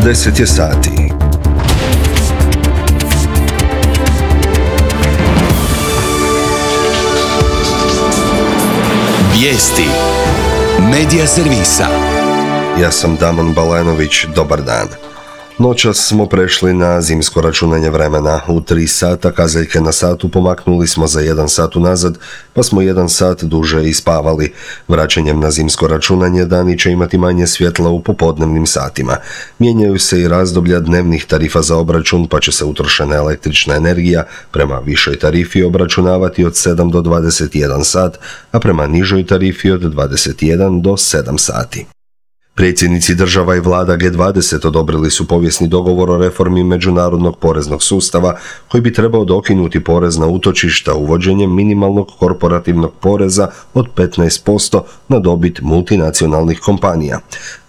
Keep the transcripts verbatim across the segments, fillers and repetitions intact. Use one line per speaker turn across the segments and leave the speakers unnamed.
deset je sati.
Vijesti Medija servisa.
Ja sam Damon Balanović, dobar dan. Noćas smo prešli na zimsko računanje vremena. U tri sata kazaljke na satu pomaknuli smo za jedan sat unazad, pa smo jedan sat duže ispavali. Vraćanjem na zimsko računanje dani će imati manje svjetla u popodnevnim satima. Mijenjaju se i razdoblja dnevnih tarifa za obračun, pa će se utrošena električna energija prema višoj tarifi obračunavati od sedam do dvadeset jedan sat, a prema nižoj tarifi od dvadeset jedan do sedam sati. Predsjednici država i vlada G dvadeset odobrili su povijesni dogovor o reformi međunarodnog poreznog sustava koji bi trebao dokinuti porez na utočišta uvođenjem minimalnog korporativnog poreza od petnaest posto na dobit multinacionalnih kompanija.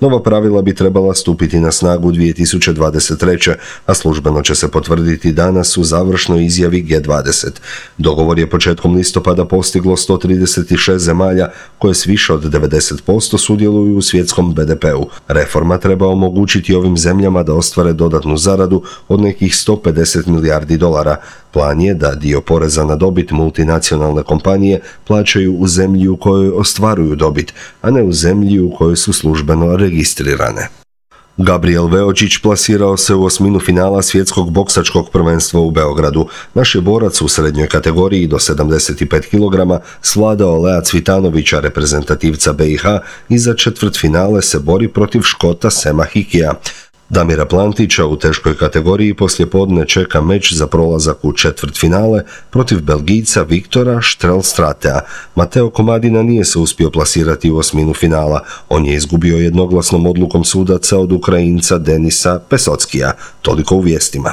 Nova pravila bi trebala stupiti na snagu dvije tisuće dvadeset treće. a službeno će se potvrditi danas u završnoj izjavi G dvadeset. Dogovor je početkom listopada postiglo sto trideset šest zemalja koje s više od devedeset posto sudjeluju u svjetskom B D P-u. Reforma treba omogućiti ovim zemljama da ostvare dodatnu zaradu od nekih sto pedeset milijardi dolara. Plan je da dio poreza na dobit multinacionalne kompanije plaćaju u zemlji u kojoj ostvaruju dobit, a ne u zemlji u kojoj su službeno registrirane. Gabriel Veočić plasirao se u osminu finala svjetskog boksačkog prvenstva u Beogradu. Naš je borac u srednjoj kategoriji do sedamdeset pet kilograma svladao Lea Cvitanovića, reprezentativca B i H, i za četvrtfinale se bori protiv Škota Sema Hikija. Damira Plantića u teškoj kategoriji poslijepodne čeka meč za prolazak u četvrtfinale protiv Belgijca Viktora Štrelstratea. Mateo Komadina nije se uspio plasirati u osminu finala. On je izgubio jednoglasnom odlukom sudaca od Ukrajinca Denisa Pesockija. Toliko u vijestima.